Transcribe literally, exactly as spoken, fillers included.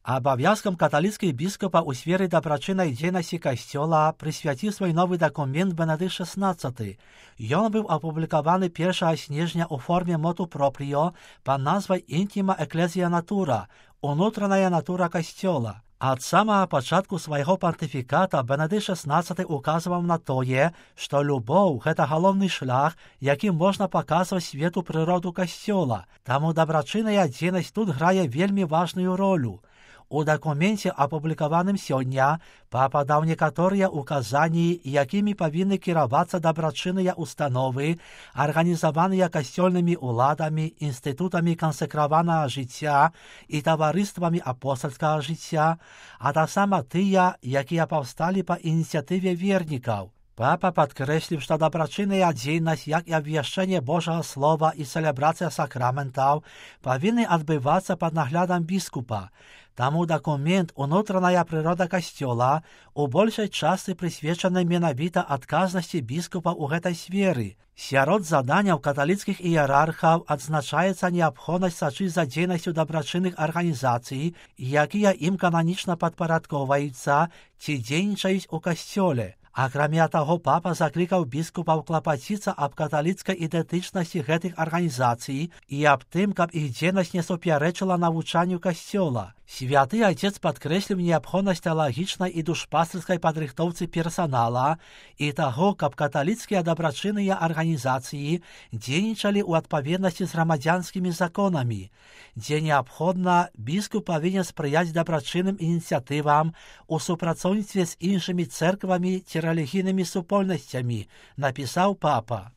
Абавязкам каталіцкіх біскупаў у сферы дабрачыннай дзейнасці касцёла прысвяціў свой новы дакумент Бенедыкт шаснаццаты. Ён быў апублікаваны першага снежня ў форме моту пропріо пад назвай «Інтіма Екклезія Натура» – «Унутраная натура касцёла». Ад самага пачатку свайго пантыфіката Бенедыкт шаснаццаты указваў на тое, што любоў – гэта галоўны шлях, якім можна паказваць свету прыроду касцёла, таму дабрачынная дзейнасць тут грае вельмі важную ролю. У дакуменце, апублікаваным сёння, папа даў некаторыя указанні, якімі павінны кіравацца дабрачынныя установы, арганізаваныя касцёльнымі ўладамі, інстытутамі кансекраванага жыцця і таварыствамі апостальскага жыцця, а таксама тыя, якія паўсталі па ініцыятыве вернікаў. Папа падкрэсліў, што дабрачынная дзейнасць, як і абвяшчэнне Божага Слова і цэлебрацыя сакраментаў павінны адбывацца пад наглядам біскупа. Таму дакумент «Унутраная прырода касцёла» у большай частцы прысвечаны менавіта адказнасці біскупа ў гэтай сферы. Сярод заданняў каталіцкіх іерархаў адзначаецца неабходнасць сачыць за дзейнасцю дабрачынных арганізацый, якія ім кананічна падпарадкоўваюцца ці дзейнічаюць у касцёле. Акрамя таго, папа заклікаў біскупаў клапаціцца аб каталіцкай ідэнтычнасці гэтых арганізацый і аб тым, каб іх дзейнасць не супярэчыла навучанню касцёла. Святы Айцец падкрэсліў неабходнасць тэалагічнай і душпастырскай падрыхтоўцы персанала і таго, каб каталіцкія дабрачынныя арганізацыі дзейнічалі ў адпаведнасці з грамадзянскімі законамі. Дзе неабходна, біскуп павінен спрыяць дабрачынным ініцыятывам у супрацоўніцтве з іншымі цэрквамі ці рэлігійнымі супольнасцямі, напісаў папа.